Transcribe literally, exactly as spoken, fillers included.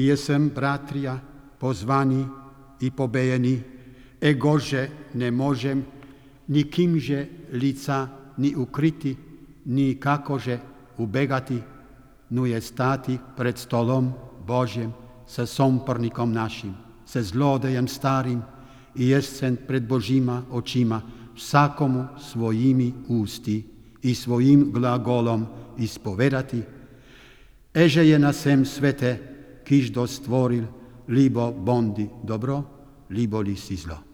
I jesem, bratrija, pozvani i pobejeni, egože ne možem nikimže lica ni ukriti, ni kakože ubegati, nu je stati pred stolom Božjem sa sompornikom našim, sa zlodejem starim i jesen pred Božíma očima vsakomu svojimi ústi i svojim glagolom ispovedati, eže je na sem svete, kiž do stvoril, libo bondi dobro, libo li si zlo.